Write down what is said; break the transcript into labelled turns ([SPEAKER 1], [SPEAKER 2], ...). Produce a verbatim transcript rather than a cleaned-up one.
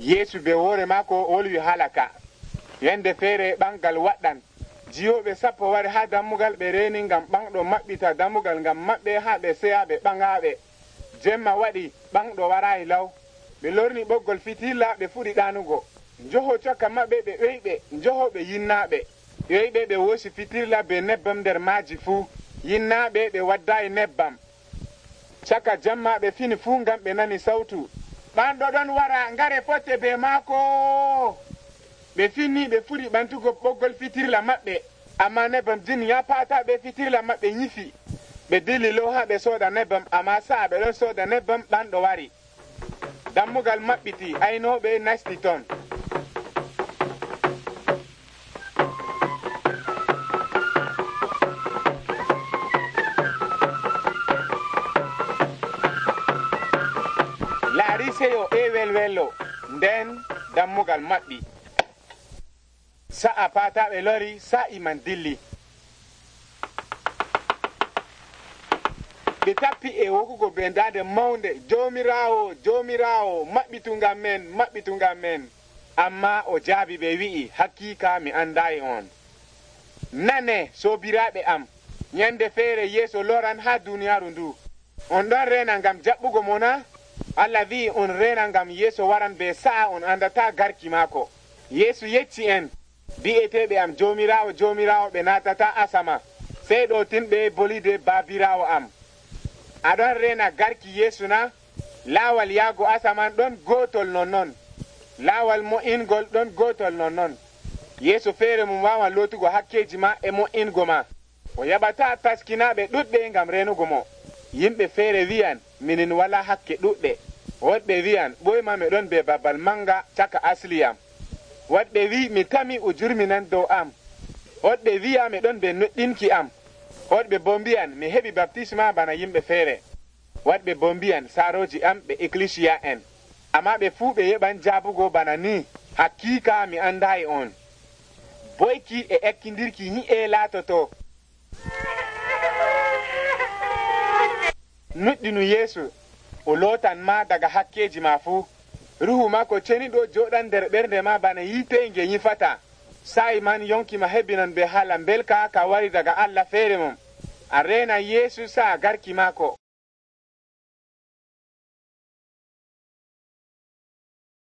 [SPEAKER 1] Yeesu be woore maako wolwi halaka. Yande feere ɓangal waɗɗan. Jiyoɓe sappo wari ha dammugal ɓe reeni ngam ɓanɗo maɓɓita dammugal ngam maɓɓe ha ɓe seya ɓe ɓaŋaaɓe. Jemma waɗi ɓanɗo waraayi law. Ɓe lorni ɓoggol fitilla ɓe fuɗi ɗaanugo. Njoho caka maɓɓe ɓe ɓeyɓe njoho ɓe yinnaaɓe. Ɓeyɓe ɓe wosi fitilla be nebbam nder maaji fuu. Yinnaaɓe ɓe waddaayi nebbam. Caka jamma ɓe fini fuu ngam ɓe nani sawtu. Ɓanɗo ɗon wara ngare fotte be maako. Ɓe finni ɓe fuɗi ɓantugo ɓoggol fitirla maɓɓe. Amma nebbam jin ya paata ɓe fitirla maɓɓe nyifi. Ɓe dilli low ha ɓe sooda nebbam amma sa'a ɓe ɗon sooda nebbam ɓanɗo wari. Dammugal maɓɓiti aynooɓe nasti ton. Laariseyo e welwello nden dammugal maɓɓi. Sa'a paataɓe lori sa'i man dilli. Ɓe tappi e wokugo be ndaade mawnde joomiraawo joomiraawo maɓɓitungam men maɓɓitungam men. Amma o jaabi ɓe wi'i hakkiika mi andaayi on. Nane soobiraaɓe am, nyande feere Yeesu loran ha duniyaaru ndu. On ɗon reena ngam jaɓɓugo mo na? Allah wi'i on reena ngam Yeesu waran be sa'a on andata garki maako. Yeesu yecci en, bi'eteeɓe am joomiraawo joomiraawo ɓe naatata asama, sey ɗo tinɓe bolide baabiraawo am. Aɗon reena garki Yeesu na? Laawal yaago asaman ɗon gootol nonnon. Laawal mo'ingol ɗon gootol nonnon. Yeesu feere mum waawan lootugo hakkeji ma e mo'ingo ma. O yaɓata taskinaaɓe ɗuɗɓe ngam reenugo mo. Yimɓe feere wi'an minin wala hakke ɗuɗɗe. Woɗɓe wi'an ɓoyma mi ɗon be babal manga caka asliyam. Woɗɓe wi mi tami ujurmi nan dow am. Woɗɓe wi'a mi ɗon be nuɗɗinki am. Woɗɓe bo mbi'an mi heɓi baptisma bana yimɓe feere. Woɗɓe bo mbi'an saaroji am ɓe ecclesia en. Amma ɓe fuu ɓe yeɓan jaabugo bana ni. Hakkiika mi andaayi on. Boyki e ekkindirki nyi'e laatoto. Nuɗɗinu Yeesu o lootan ma daga hakkeji ma fuu. Ruhu maako ceniɗo jooɗan nder ɓernde ma bana yiite nge nyifata. Sa'i man yonki ma hebinan be haala belka ka wari daga Allah feere mum. A reena Yeesu sa'a garki maako.